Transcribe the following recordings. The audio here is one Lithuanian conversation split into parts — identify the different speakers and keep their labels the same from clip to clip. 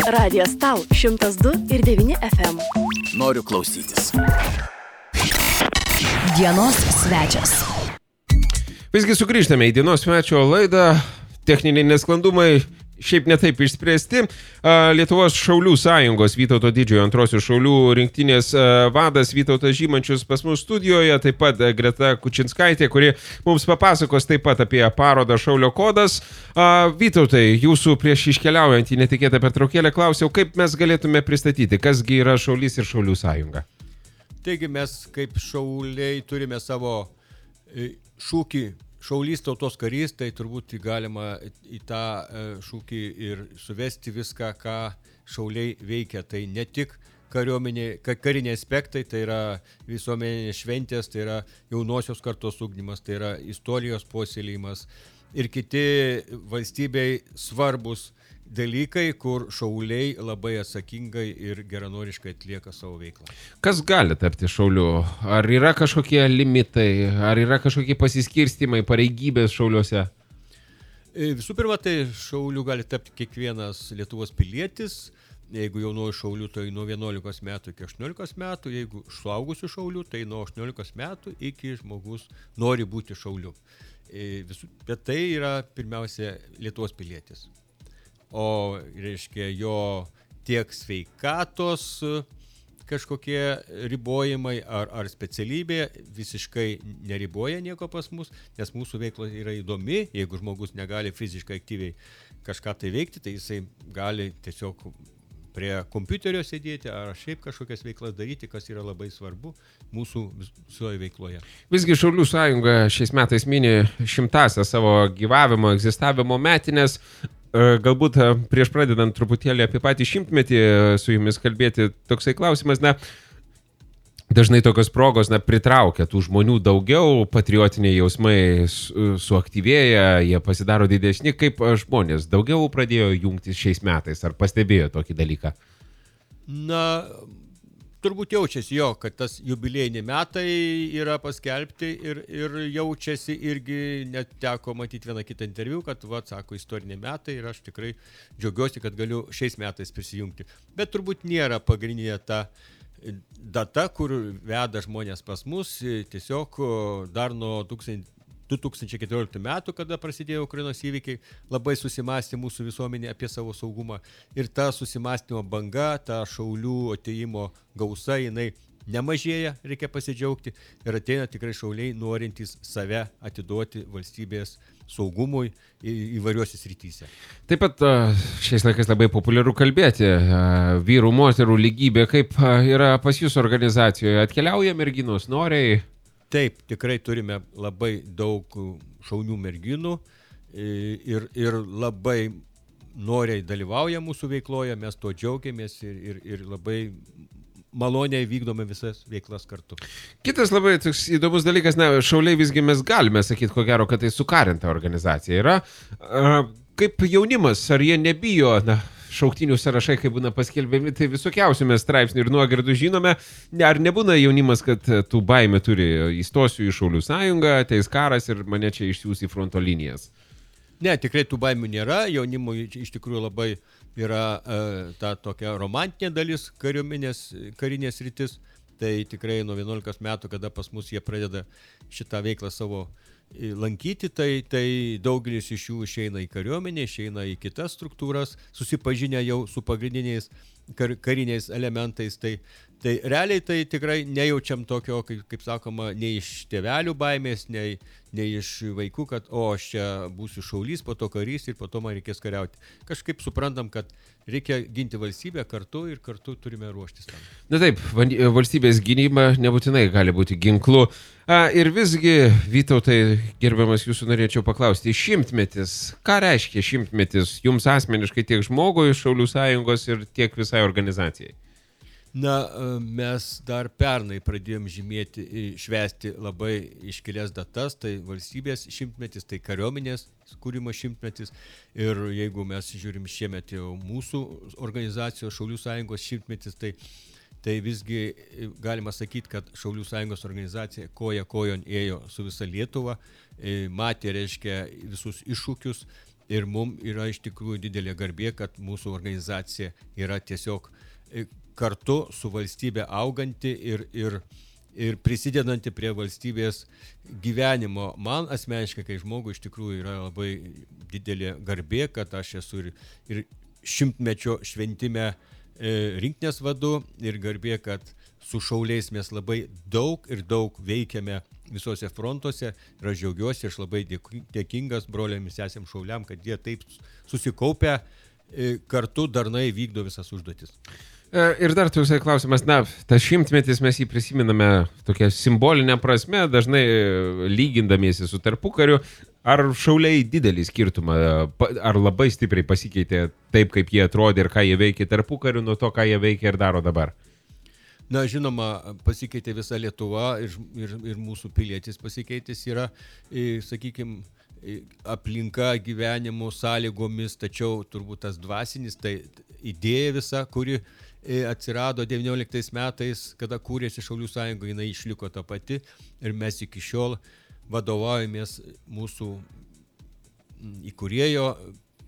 Speaker 1: Radijas tau 102,9 FM.
Speaker 2: Noriu klausytis.
Speaker 3: Dienos svečias.
Speaker 4: Visgi sugrįžtame į dienos svečio laidą. Techniniai nesklandumai šiaip netaip išspręsti. Lietuvos Šaulių sąjungos Vytauto Didžiojo antrosios šaulių rinktinės vadas Vytautas Žymančius pas mus studijoje, taip pat Greta Kučinskaitė, kuri mums papasakos taip pat apie parodą Šaulio kodas. Vytautai, jūsų prieš iškeliaujant į netikėtą pertraukėlę klausiau, kaip mes galėtume pristatyti, kasgi yra Šaulys ir Šaulių sąjunga.
Speaker 5: Taigi mes kaip šauliai turime savo šūkį Šaulys tautos karys, tai turbūt galima į tą šūkį ir suvesti viską, ką šauliai veikia. Tai ne tik kariniai aspektai, tai yra visuomenės šventės, tai yra jaunosios kartos ugdymas, tai yra istorijos puoselėjimas ir kiti valstybei svarbus dalykai, kur šauliai labai atsakingai ir geranoriškai atlieka savo veiklą.
Speaker 4: Kas gali tapti šauliu? Ar yra kažkokie limitai, ar yra kažkokie pasiskirstimai, pareigybės šauliuose?
Speaker 5: Visų pirma, tai šauliu gali tapti kiekvienas Lietuvos pilietis. Jeigu jaunuoju šauliu, tai nuo 11 metų iki 18 metų. Jeigu suaugusiu šauliu, tai nuo 18 metų iki žmogus nori būti šauliu. Bet tai yra pirmiausia Lietuvos pilietis. O reiškia jo tiek sveikatos kažkokie ribojimai ar specialybė visiškai neriboja nieko pas mus, nes mūsų veikla yra įdomi. Jeigu žmogus negali fiziškai aktyviai kažką tai veikti, tai jisai gali tiesiog prie kompiuterio sėdėti ar šiaip kažkokias veiklas daryti, kas yra labai svarbu mūsų visoje veikloje.
Speaker 4: Visgi Šaulių sąjunga šiais metais mini 100-ąsias savo gyvavimo, egzistavimo metinės. Galbūt prieš pradedant truputėlį apie patį 100-metį su jumis kalbėti, toksai klausimas, dažnai tokios progos pritraukia tų žmonių daugiau, patriotiniai jausmai suaktyvėja, jie pasidaro didesni, kaip žmonės daugiau pradėjo jungtis šiais metais, ar pastebėjo tokį dalyką?
Speaker 5: Turbūt jaučiasi kad tas jubiliejiniai metai yra paskelbti ir jaučiasi irgi, net teko matyti vieną kitą interviu, kad sako istoriniai metai ir aš tikrai džiaugiuosi, kad galiu šiais metais prisijungti. Bet turbūt nėra pagrindinė ta data, kur veda žmonės pas mus, tiesiog dar nuo 2014 metų, kada prasidėjo Ukrainos įvykiai, labai susimastė mūsų visuomenė apie savo saugumą. Ir ta susimastymo banga, ta šaulių atėjimo gausa, jinai nemažėja, reikia pasidžiaugti. Ir ateina tikrai šauliai norintys save atiduoti valstybės saugumui įvairiuose srityse.
Speaker 4: Taip pat šiais laikais labai populiaru kalbėti. Vyrų, moterų lygybė, kaip yra pas jūsų organizacijoje? Atkeliauja merginos noriai?
Speaker 5: Taip, tikrai turime labai daug šaunių merginų ir labai noriai dalyvauja mūsų veikloje, mes to džiaugiamės ir labai maloniai vykdome visas veiklas kartu.
Speaker 4: Kitas labai toks įdomus dalykas, šauliai visgi mes galime sakyti, ko gero, kad tai sukarinta organizacija yra. Kaip jaunimas, ar jie nebijo, šauktinių sąrašai, kai būna paskelbiami, tai visokiausių mes straipsnių ir nuogirdų žinome. Ar nebūna jaunimas, kad tų baimė turi, įstosiu į Šaulių sąjungą, ateis karas ir mane čia išsiųs į fronto linijas?
Speaker 5: Ne, tikrai tų baimių nėra. Jaunimui iš tikrųjų labai yra ta tokia romantinė dalis karinės rytis. Tai tikrai nuo 11 metų, kada pas mus jie pradeda šitą veiklą savo lankyti, tai daugelis iš jų išeina į kariuomenę, išeina į kitas struktūras, susipažinę jau su pagrindiniais kariniais elementais. Tai realiai tai tikrai nejaučiam tokio, kaip sakoma, nei iš tėvelių baimės, nei iš vaikų, kad aš čia būsiu šaulys, po to karys ir po to man reikės kariauti. Kažkaip suprantam, kad reikia ginti valstybę kartu ir kartu turime ruoštis tam.
Speaker 4: Taip, valstybės gynyba nebūtinai gali būti ginklu. Ir visgi, Vytautai, gerbiamas, jūsų norėčiau paklausti, 100-metis, ką reiškia 100-metis jums asmeniškai tiek žmogui, Šaulių sąjungos ir tiek visai organizacijai?
Speaker 5: Mes dar pernai pradėjom švęsti labai iškilias datas, tai valstybės 100-metis, tai kariuomenės kūrimo 100-metis. Ir jeigu mes žiūrim šiemet jau mūsų organizacijos Šaulių sąjungos 100-metis, tai visgi galima sakyti, kad Šaulių sąjungos organizacija koja kojon ėjo su visa Lietuva, matė, reiškia, visus iššūkius ir mums yra iš tikrųjų didelė garbė, kad mūsų organizacija yra tiesiog kartu su valstybė auganti ir prisidedanti prie valstybės gyvenimo. Man asmeniškai, kai žmogui iš tikrųjų yra labai didelė garbė, kad aš esu ir 100-mečio šventime rinktinės vadu ir garbė, kad su šauliais mes labai daug veikiame visose frontuose ir aš džiaugiuosi, aš labai dėkingas broliam ir sesėm šauliam, kad jie taip susikaupę kartu darnai vykdo visas užduotis.
Speaker 4: Ir dar toksai klausimas, tas 100-metis mes jį prisiminame tokia simbolinė prasme, dažnai lygindamiesi su tarpukariu. Ar šauliai didelį skirtumą, ar labai stipriai pasikeitė taip, kaip jie atrodė ir ką jie veikė tarpukariu, nuo to, ką jie veikia ir daro dabar?
Speaker 5: Na, žinoma, pasikeitė visa Lietuva ir mūsų pilietis pasikeitęs yra, sakykime, aplinka gyvenimo sąlygomis, tačiau turbūt tas dvasinis, tai idėja visa, kuri atsirado 19 metais, kada kūrėsi Šaulių sąjunga, jinai išliko ta pati ir mes iki šiol vadovaujamės mūsų įkūrėjo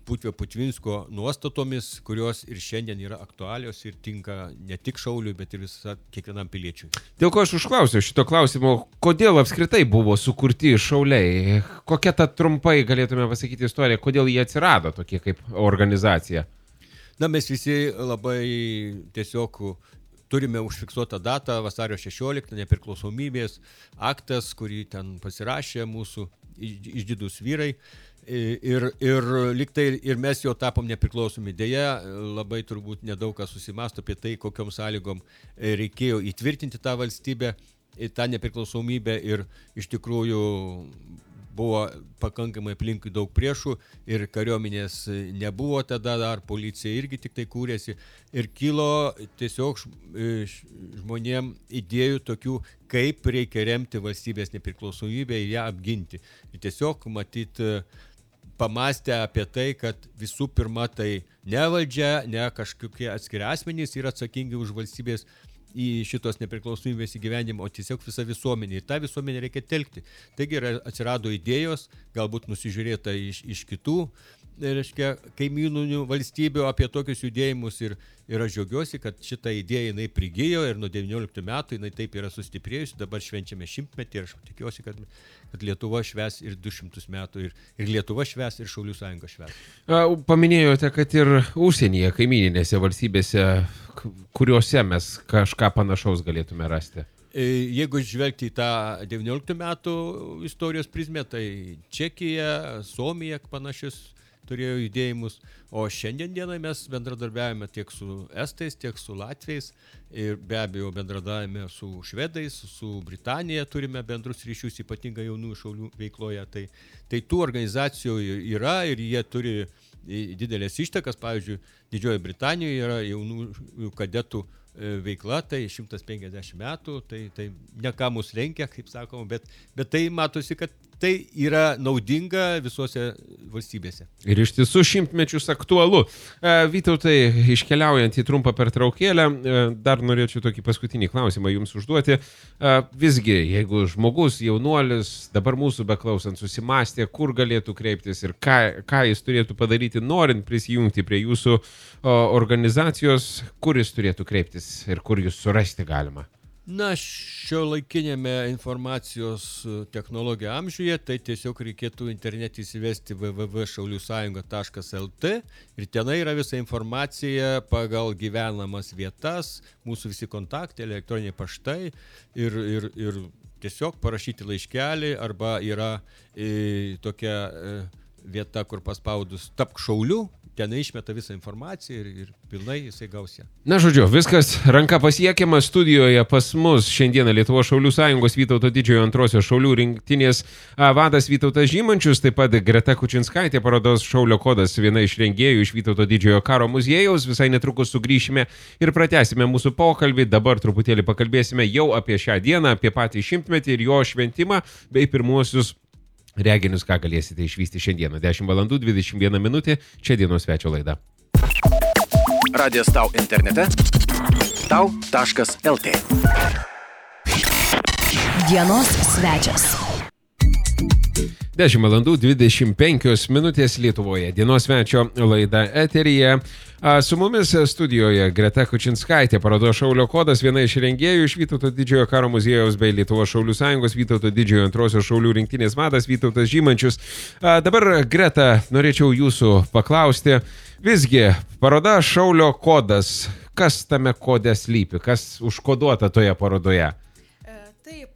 Speaker 5: Putvio Putvinsko nuostatomis, kurios ir šiandien yra aktualios ir tinka ne tik šauliui, bet ir kiekvienam piliečiui.
Speaker 4: Dėl ko aš užklausiau šito klausimo, kodėl apskritai buvo sukurti šauliai? Kokia ta trumpai galėtume pasakyti istorija, kodėl jie atsirado tokie kaip organizacija?
Speaker 5: Na, mes visi labai tiesiog turime užfiksuotą datą, vasario 16, nepriklausomybės aktas, kurį ten pasirašė mūsų išdidūs vyrai. Ir liktai ir mes jo tapom nepriklausomi. Deja, labai turbūt nedaug kas susimąsto apie tai, kokiom sąlygom reikėjo įtvirtinti tą valstybę, tą nepriklausomybę ir iš tikrųjų buvo pakankamai aplinkui daug priešų ir kariuomenės nebuvo tada dar, policija irgi tik tai kūrėsi ir kilo tiesiog žmonėm idėjų tokių, kaip reikia remti valstybės nepriklausomybę ir ją apginti. Ir tiesiog matyti pamastę apie tai, kad visų pirma tai ne valdžia, ne kažkokie atskiri asmenys yra atsakingi už valstybės į šitos nepriklausomybės įgyvendimą, o tiesiog visa visuomenė. Ir tą visuomenę reikia telkti. Taigi atsirado idėjos, galbūt nusižiūrėta iš kitų, reiškia, kaimyninių valstybių apie tokius judėjimus ir aš džiaugiuosi, kad šitą idėją jinai prigijo ir nuo 19 metų jinai taip yra sustiprėjusi, dabar švenčiame 100-metį ir aš tikiuosi, kad Lietuva švęs ir 200 metų ir Lietuva švęs ir Šaulių sąjunga švęs.
Speaker 4: Paminėjote, kad ir užsienyje, kaimyninėse valstybėse, kuriuose mes kažką panašaus galėtume rasti.
Speaker 5: Jeigu žvelgti į tą 19 metų istorijos prizmę, tai Čekija, Suomija panašius turėjo judėjimus, o šiandien dienai mes bendradarbiavame tiek su estais, tiek su latviais ir be abejo bendradarbiavame su švedais, su Britanija turime bendrus ryšius, ypatingai jaunų šaulių veikloje. Tai tų organizacijų yra ir jie turi didelės ištakas, pavyzdžiui, Didžiojoje Britanijoje yra jaunų kadetų veikla, tai 150 metų, tai ne ką mus lenkia, kaip sakoma, bet tai matosi, kad tai yra naudinga visose valstybėse.
Speaker 4: Ir iš tiesų 100-mečius aktualu. Vytautai, iškeliaujant į trumpą pertraukėlę, dar norėčiau tokį paskutinį klausimą jums užduoti. Visgi, jeigu žmogus, jaunuolis, dabar mūsų beklausant susimastė, kur galėtų kreiptis ir ką jis turėtų padaryti, norint prisijungti prie jūsų organizacijos, kur jis turėtų kreiptis ir kur jūs surasti galima?
Speaker 5: Na, šiuolaikinėme informacijos technologijų amžiuje, tai tiesiog reikėtų internete įsivesti www.šauliusąjunga.lt ir tenai yra visa informacija pagal gyvenamas vietas, mūsų visi kontaktai, elektroniniai paštai ir tiesiog parašyti laiškelį arba yra tokia vieta, kur paspaudus tapk šauliu, ten išmeta visą informaciją ir pilnai jisai gaus ją.
Speaker 4: Na, žodžiu, viskas ranka pasiekiama. Studijoje pas mus šiandieną Lietuvos Šaulių sąjungos Vytauto Didžiojo antrosios šaulių rinktinės vadas Vytautas Žymančius, taip pat Greta Kučinskaitė, parodos Šaulio kodas, viena iš rengėjų iš Vytauto Didžiojo karo muziejaus. Visai netrukus sugrįšime ir pratęsime mūsų pokalbį. Dabar truputėlį pakalbėsime jau apie šią dieną, apie patį 100-metį ir jo šventimą, bei pirmuosius reginius, ką galėsite išvysti šiandieną. 10:21 minutė, čia dienos svečio laida.
Speaker 2: Radijas Tau internete tau.lt.
Speaker 3: Dienos svečias.
Speaker 4: 10 valandų 25 minutės Lietuvoje. Dienos svečio laida eteryje. Su mumis studijoje Greta Kučinskaitė, parodos Šaulio kodas, viena iš rengėjų iš Vytauto didžiojo karo muziejaus bei Lietuvos Šaulių sąjungos, Vytauto didžiojo antrosios šaulių rinktinės vadas Vytautas Žymančius. Dabar, Greta, norėčiau jūsų paklausti. Visgi, paroda Šaulio kodas. Kas tame kode slypi? Kas užkoduota toje parodoje?
Speaker 6: Taip,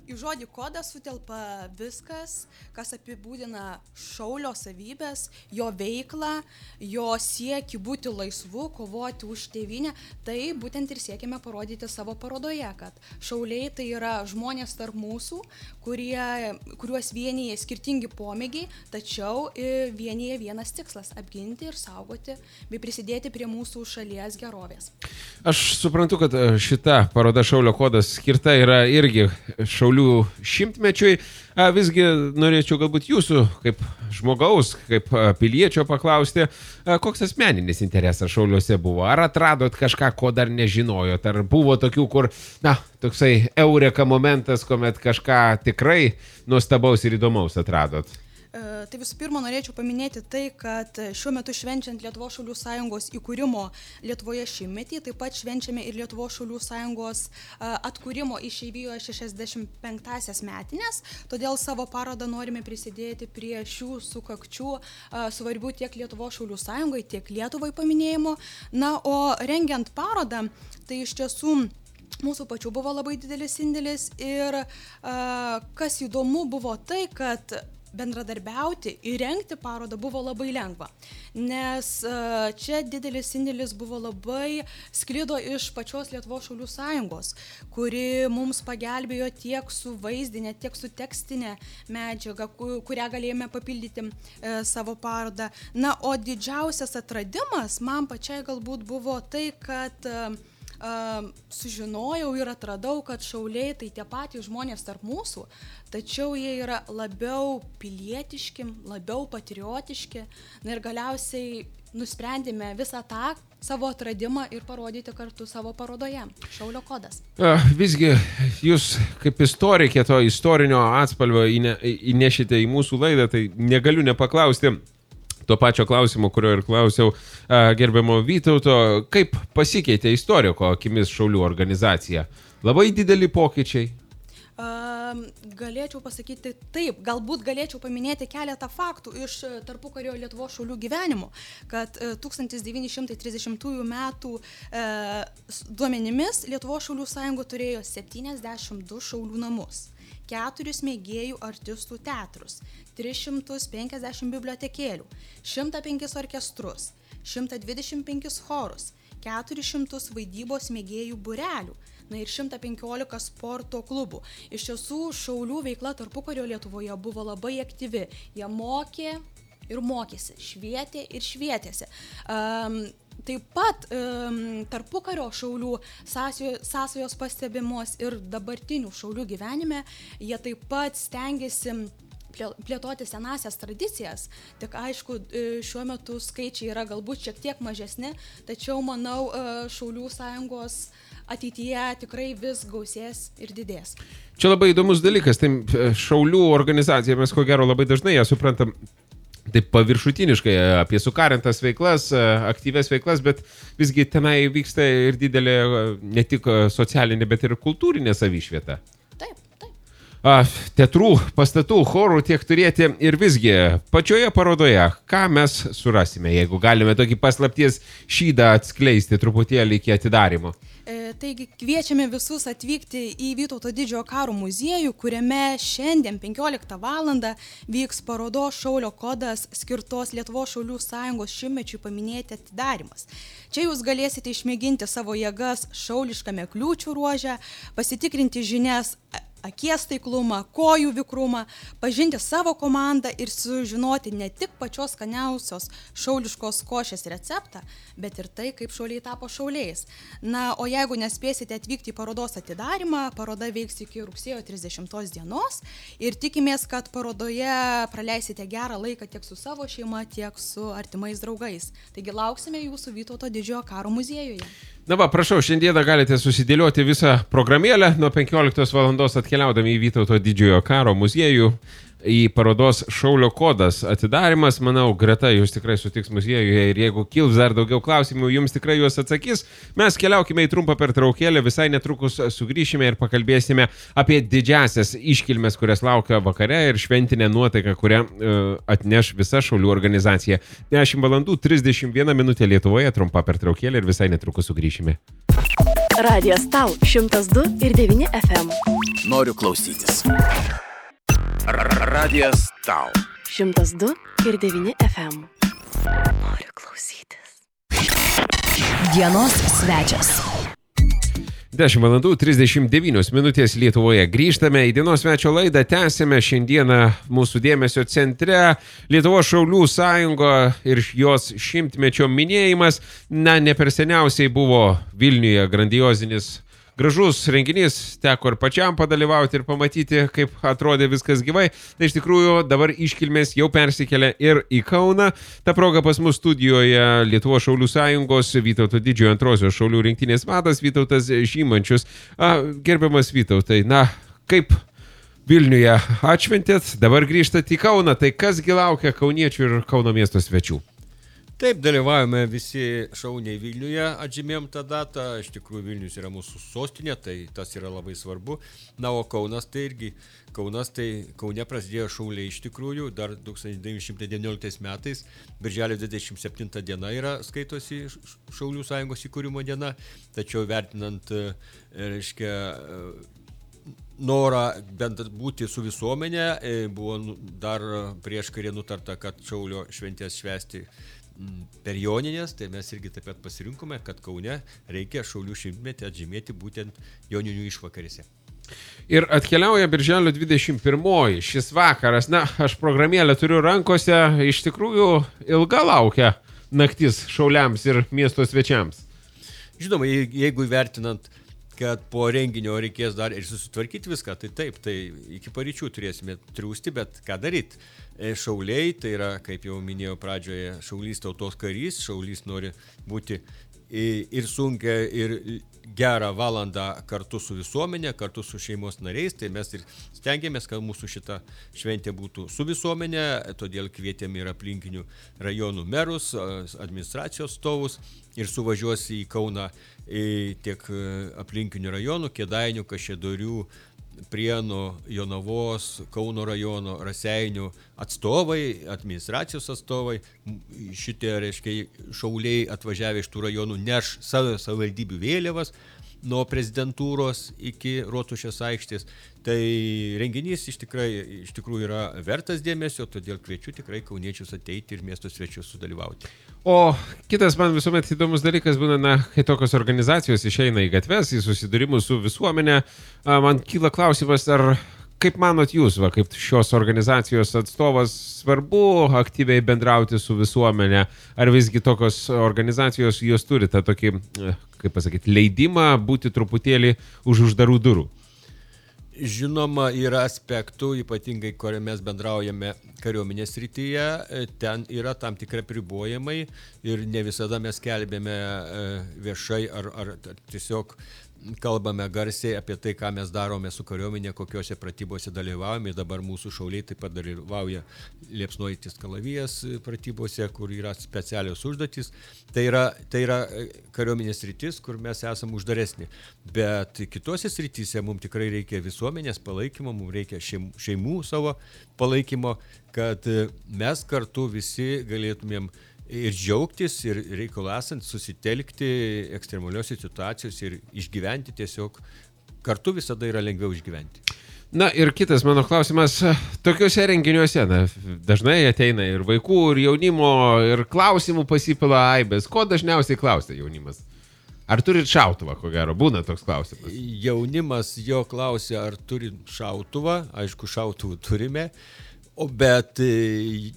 Speaker 6: į žodį kodas sutelpa viskas, kas apibūdina šaulio savybės, jo veiklą, jo siekį būti laisvu, kovoti už tėvynę. Tai būtent ir siekime parodyti savo parodoje, kad šauliai tai yra žmonės tarp mūsų, kuriuos vienyje skirtingi pomėgiai, tačiau vienyje vienas tikslas – apginti ir saugoti bei prisidėti prie mūsų šalies gerovės.
Speaker 4: Aš suprantu, kad šita paroda Šaulio kodas skirta yra irgi šaulių šimtmečiui. Visgi norėčiau galbūt jūsų kaip žmogaus, kaip piliečio paklausti, koks asmeninis interesas šauliuose buvo? Ar atradot kažką, ko dar nežinojot? Ar buvo tokių, kur, toksai eureka momentas, kuomet kažką tikrai nuostabaus ir įdomaus atradot?
Speaker 6: Tai visų pirma, norėčiau paminėti tai, kad šiuo metu švenčiant Lietuvos Šaulių sąjungos įkūrimo Lietuvoje šimtmetį, taip pat švenčiame ir Lietuvos Šaulių sąjungos atkūrimo išeivijoje 65-asias metinės, todėl savo parodą norime prisidėti prie šių sukakčių svarbių tiek Lietuvos Šaulių sąjungai, tiek Lietuvai paminėjimo. Na, o rengiant parodą, tai iš tiesų mūsų pačių buvo labai didelis indėlis ir kas įdomu buvo tai, kad bendradarbiauti ir rengti parodą buvo labai lengva, nes čia didelis indėlis buvo labai sklido iš pačios Lietuvos Šaulių sąjungos, kuri mums pagelbėjo tiek su vaizdinė, tiek su tekstinė medžiaga, kurią galėjome papildyti savo parodą. Na, o didžiausias atradimas man pačiai galbūt buvo tai, kad sužinojau ir atradau, kad šauliai tai tie patys žmonės tarp mūsų, tačiau jie yra labiau pilietiški, labiau patriotiški. Na ir galiausiai nusprendėme visą tą savo atradimą ir parodyti kartu savo parodoje. Šaulio kodas.
Speaker 4: Visgi, jūs kaip istorikė to istorinio atspalvio įnešite į mūsų laidą, tai negaliu nepaklausti to pačio klausimo, kurio ir klausiau gerbiamo Vytauto, kaip pasikeitė istoriko akimis šaulių organizacija? Labai dideli pokyčiai?
Speaker 6: Galėčiau pasakyti taip, galbūt galėčiau paminėti keletą faktų iš tarpukario Lietuvos šaulių gyvenimo, kad 1930 metų duomenimis Lietuvos šaulių sąjunga turėjo 72 šaulių namus, 4 mėgėjų artistų teatrus, 350 bibliotekėlių, 105 orkestrus, 125 chorus, 400 vaidybos mėgėjų būrelių, na ir 115 sporto klubų. Iš tiesų, šaulių veikla tarpukario Lietuvoje buvo labai aktyvi. Jie mokė ir mokėsi, švietė ir švietėsi. Taip pat tarpukario šaulių sąsajos pastebimos ir dabartinių šaulių gyvenime. Jie taip pat stengiasi plėtoti senasias tradicijas, tik aišku, šiuo metu skaičiai yra galbūt šiek tiek mažesni, tačiau manau, Šaulių sąjungos ateityje tikrai vis gausės ir didės.
Speaker 4: Čia labai įdomus dalykas, tai šaulių organizacija, mes ko gero labai dažnai ją suprantam taip paviršutiniškai apie sukarintas veiklas, aktyves veiklas, bet visgi tenai vyksta ir didelė ne tik socialinė, bet ir kultūrinė savišvieta.
Speaker 6: Taip.
Speaker 4: Teatrų, pastatų, chorų tiek turėti ir visgi pačioje parodoje, ką mes surasime, jeigu galime tokį paslapties šydą atskleisti truputėlį iki atidarymo.
Speaker 6: Taigi kviečiame visus atvykti į Vytauto didžiojo karo muziejų, kuriame šiandien 15 valandą vyks parodos Šaulio kodas skirtos Lietuvos Šaulių sąjungos šimtmečiui paminėti atidarymas. Čia jūs galėsite išmėginti savo jėgas šauliškame kliūčių ruože, pasitikrinti žinias akies taiklumą, kojų vikrumą, pažinti savo komandą ir sužinoti ne tik pačios skaniausios šauliškos košės receptą, bet ir tai, kaip šauliai tapo šauliais. Na, o jeigu nespėsite atvykti į parodos atidarymą, paroda veiks iki rugsėjo 30 dienos ir tikimės, kad parodoje praleisite gerą laiką tiek su savo šeima, tiek su artimais draugais. Taigi lauksime jūsų Vytauto didžiojo karo muziejuje.
Speaker 4: Na va, prašau, šiandieną galite susidėlioti visą programėlę nuo 15 valandos atkeliaudami į Vytauto didžiojo karo muziejų. į parodos Šaulio kodas atidarimas. Manau, Greta, jūs tikrai sutiks muziejuje ir jeigu kils dar daugiau klausimų, jums tikrai juos atsakys. Mes keliaukime į trumpą pertraukėlę, visai netrukus sugrįšime ir pakalbėsime apie didžiasias iškilmes, kurias laukia vakare ir šventinę nuotaiką, kurią atneš visa Šaulių organizacija. 10 valandų 31 minutė Lietuvoje, trumpa pertraukėlė ir visai netrukus sugrįšime.
Speaker 1: Radijas Tau 102,9 FM.
Speaker 2: Noriu klausytis. Radijas Tau.
Speaker 1: 102,9 FM. Noriu klausytis.
Speaker 3: Dienos svečias.
Speaker 4: 10 valandų 39 minutės Lietuvoje. Grįžtame į dienos svečio laidą, tęsime šiandieną mūsų dėmesio centre Lietuvos Šaulių sąjunga ir jos 100-mečio minėjimas. Na, ne per seniausiai buvo Vilniuje grandiozinis gražus renginys, teko ir pačiam padalyvauti ir pamatyti, kaip atrodė viskas gyvai. Tai iš tikrųjų dabar iškilmės jau persikelia ir į Kauną. Ta proga pas mus studijoje Lietuvos Šaulių sąjungos Vytauto Didžiojo antrosios Šaulių rinktinės vadas Vytautas Žymančius. Gerbiamas Vytautai, na, kaip Vilniuje atšventėt, dabar grįžtat į Kauną, tai kasgi laukia kauniečių ir Kauno miesto svečių?
Speaker 5: Taip, dalyvavome visi šauniai Vilniuje, atžymėjom tą datą, iš tikrųjų Vilnius yra mūsų sostinė, tai tas yra labai svarbu. Na, o Kaunas tai irgi, Kaune prasidėjo šauliai iš tikrųjų, dar 1919 metais, birželio 27 diena yra skaitosi Šaulių sąjungos įkūrimo diena, tačiau vertinant, reiškia, norą bent būti su visuomenė, buvo dar prieš karį nutarta, kad Šaulio šventės švęsti per Joninės, tai mes irgi taip pat pasirinkome, kad Kaune reikia Šaulių 100-metį atžymėti būtent Joninių išvakarėse.
Speaker 4: Ir atkeliauja birželio 21 šis vakaras. Na, aš programėlę turiu rankose, iš tikrųjų ilga laukia naktis šauliams ir miesto svečiams.
Speaker 5: Žinoma, jeigu įvertinant, kad po renginio reikės dar ir susitvarkyti viską, tai taip, tai iki paryčių turėsime triūsti, bet ką daryti? Šauliai, tai yra, kaip jau minėjau pradžioje, šaulys tautos karys, šaulys nori būti ir sunkia, ir gerą valandą kartu su visuomenė, kartu su šeimos nariais, tai mes ir stengiamės, kad mūsų šita šventė būtų su visuomenė, todėl kvietėme ir aplinkinių rajonų merus, administracijos atstovus ir suvažiuos į Kauną tiek aplinkinių rajonų, Kėdainių, Kaišiadorių, Prienų, Jonavos, Kauno rajono, Raseinių atstovai, administracijos atstovai, šitie, reiškia, šauliai atvažiavę iš tų rajonų neš savo savivaldybių vėliavas nuo prezidentūros iki Rotušės aikštės. Tai renginys iš tikrųjų yra vertas dėmesio, todėl kviečiu tikrai kauniečius ateiti ir miesto svečius sudalyvauti.
Speaker 4: O kitas man visuomet įdomus dalykas būna, na, kai tokios organizacijos išeina į gatves, į susidūrimus su visuomenė, man kyla klausimas, ar kaip manot jūs, kaip šios organizacijos atstovas, svarbu aktyviai bendrauti su visuomenė, ar visgi tokios organizacijos jos turi tą tokį, kaip pasakyti, leidimą būti truputėlį už uždarų durų?
Speaker 5: Žinoma, yra aspektų, ypatingai, kurie mes bendraujame kariuomenės srityje, ten yra tam tikrai pribojimai ir ne visada mes skelbėme viešai ar tiesiog kalbame garsiai apie tai, ką mes darome su kariuomenė, kokiuose pratybose dalyvaujame. Dabar mūsų šauliai taip pat dalyvauja liepsnojantis kalavijas pratybose, kur yra specialios užduotys. Tai yra kariuomenės sritis, kur mes esame uždaresni. Bet kitose srityse mums tikrai reikia visuomenės palaikymo, mums reikia šeimų savo palaikymo, kad mes kartu visi galėtumėm ir džiaugtis, ir reikalų esant susitelkti ekstremalios situacijos ir išgyventi tiesiog. Kartu visada yra lengviau išgyventi.
Speaker 4: Na ir kitas mano klausimas, tokiuose renginiuose, dažnai ateina ir vaikų, ir jaunimo, ir klausimų pasipila aibės. Ko dažniausiai klausia jaunimas? Ar turit šautuvą, ko gero? Būna toks klausimas.
Speaker 5: Jaunimas jo klausia, ar turit šautuvą. Aišku, šautuvų turime. Bet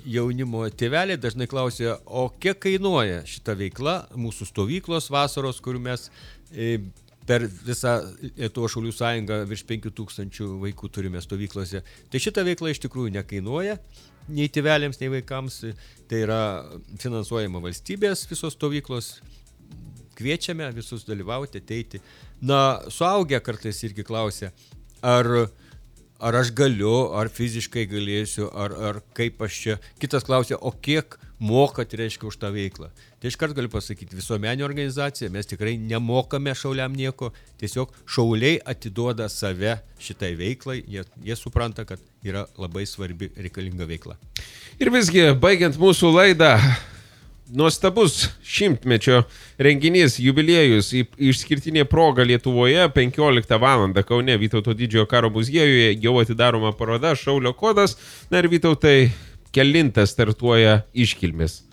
Speaker 5: jaunimo tėveliai dažnai klausia, o kiek kainuoja šita veikla, mūsų stovyklos vasaros, kur mes per visą Lietuvos Šaulių sąjungą virš 5000 vaikų turime stovyklose. Tai šita veikla iš tikrųjų nekainuoja nei tėveliams, nei vaikams. Tai yra finansuojama valstybės visos stovyklos. Kviečiame visus dalyvauti, ateiti. Na, suaugę kartais irgi klausia, ar aš galiu, ar fiziškai galėsiu, ar kaip aš čia. Kitas klausia, o kiek mokat, reiškia, už tą veiklą. Tai iškart galiu pasakyti, visuomeninė organizacija, mes tikrai nemokame šauliam nieko, tiesiog šauliai atiduoda save šitai veiklai, jie supranta, kad yra labai svarbi reikalinga veikla.
Speaker 4: Ir visgi, baigiant mūsų laidą, nuostabus 100-mečio renginys, jubiliejus, išskirtinė proga Lietuvoje, 15 val. Kaune Vytauto didžiojo karo muziejuje jau atidaroma paroda Šaulio kodas. Na ir Vytautai, kelintas startuoja iškilmės?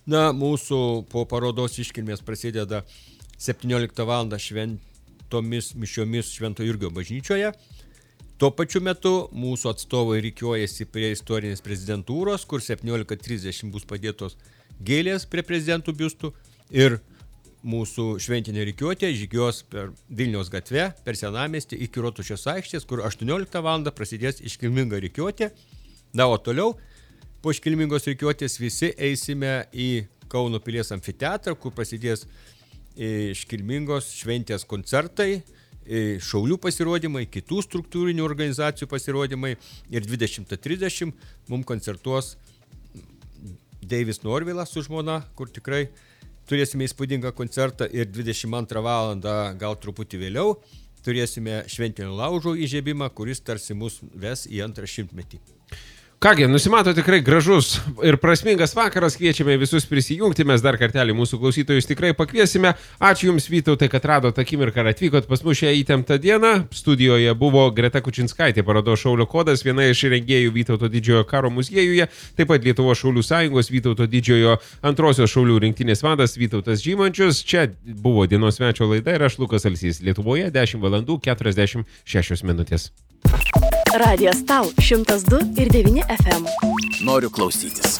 Speaker 5: Na, mūsų po parodos iškilmės prasideda 17 val. Šventomis mišiomis Švento Jurgio bažnyčioje. Tuo pačiu metu mūsų atstovai rikiuojasi prie istorinės prezidentūros, kur 17:30 bus padėtos gėlės prie prezidentų biustų ir mūsų šventinė rikiuotė žygiuos per Vilniaus gatvę, per Senamiestį iki Rotušės aikštės, kur 18 val. Prasidės iškilminga rikiuotė. Na, o toliau po iškilmingos rikiuotės visi eisime į Kauno pilies amfiteatrą, kur prasidės iškilmingos šventės koncertai, šaulių pasirodymai, kitų struktūrinių organizacijų pasirodymai ir 20:30 mums koncertuos Deivis Norvilas su žmona, kur tikrai turėsime įspūdingą koncertą ir 22 val. Gal truputį vėliau turėsime šventinio laužo įžiebimą, kuris tarsi mus ves į antrą 100-metį.
Speaker 4: Kągi, nusimato tikrai gražus ir prasmingas vakaras, kviečiame visus prisijungti, mes dar kartelį mūsų klausytojus tikrai pakviesime. Ačiū Jums, Vytautai, kad radot akimirką ir atvykot pas mus šią įtemptą dieną. Studijoje buvo Greta Kučinskaitė, parodos Šaulio kodas, viena iš rengėjų Vytauto didžiojo karo muziejuje, taip pat Lietuvos šaulių sąjungos Vytauto didžiojo antrosios šaulių rinktinės vadas Vytautas Žymančius. Čia buvo dienos svečio laida ir aš Lukas Alsys. Lietuvoje 10 val. 46 minutės.
Speaker 1: Radijas Tau 102,9 FM.
Speaker 2: Noriu klausytis.